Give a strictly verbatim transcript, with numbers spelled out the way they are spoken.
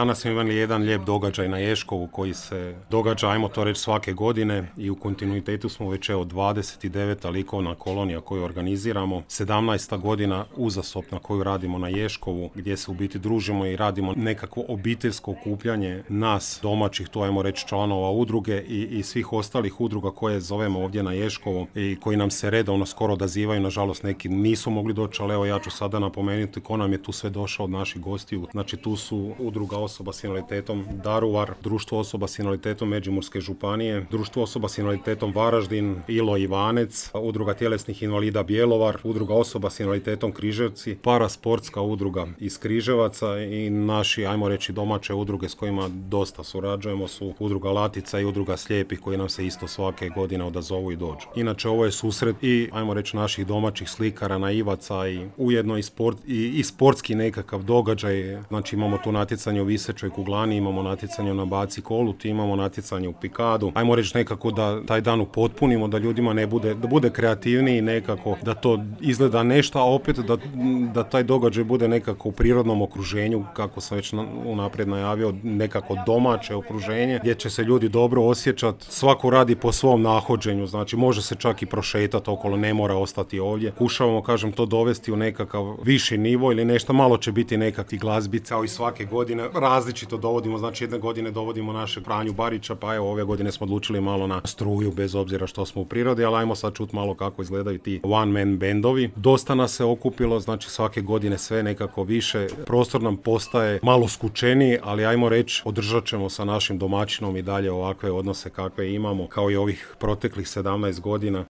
Danas smo imali jedan lijep događaj na Ježkovu koji se događa, ajmo to reći, svake godine i u kontinuitetu smo već evo dvadeset deveta likovna kolonija koju organiziramo, sedamnaesta godina uzastopna koju radimo na Ježkovu, gdje se u biti družimo i radimo nekakvo obiteljsko okupljanje nas domaćih, to ajmo reći članova udruge i, i svih ostalih udruga koje zovemo ovdje na Ježkovu i koji nam se redovno skoro odazivaju. Nažalost neki nisu mogli doći, ali evo ja ću sada napomenuti ko nam je tu sve došao od naših gostiju. Znači tu su udruga osoba s invaliditetom Daruvar, društvo osoba s invaliditetom Međimurske županije, društvo osoba s invaliditetom Varaždin, Ilo Ivanec, udruga tjelesnih invalida Bjelovar, udruga osoba s invaliditetom Križevci, parasportska udruga iz Križevaca i naši, ajmo reći, domaće udruge s kojima dosta surađujemo su udruga Latica i udruga Slijepih koji nam se isto svake godine odazovu i dođu. Inače ovo je susret i, ajmo reći, naših domaćih slikara, naivaca i ujedno i, sport, i, i sportski nekakav događaj. Znači imamo tu natjecanje u visećoj kuglani, imamo natjecanje na baci koluti, imamo natjecanje u pikadu. Ajmo reći nekako da taj dan upotpunimo, da ljudima ne bude, da bude kreativniji nekako, da to izgleda nešto, a opet da, da taj događaj bude nekako u prirodnom okruženju, kako sam već unaprijed najavio, nekako domaće okruženje, gdje će se ljudi dobro osjećati. Svako radi po svom nahođenju, znači može se čak i prošetati okolo, ne mora ostati ovdje. Kušavamo, kažem, to dovesti u nekakav viši nivo ili nešto, malo će biti nekakvi glazbi, kao i svake godine. Različito dovodimo, znači jedne godine dovodimo našeg Franju Barića, pa evo ove godine smo odlučili malo na struju, bez obzira što smo u prirodi, ali ajmo sad čuti malo kako izgledaju ti one man bendovi. Dosta nas se okupilo, znači svake godine sve nekako više, prostor nam postaje malo skučeniji, ali ajmo reći, održat ćemo sa našim domaćinom i dalje ovakve odnose kakve imamo, kao i ovih proteklih sedamnaest godina.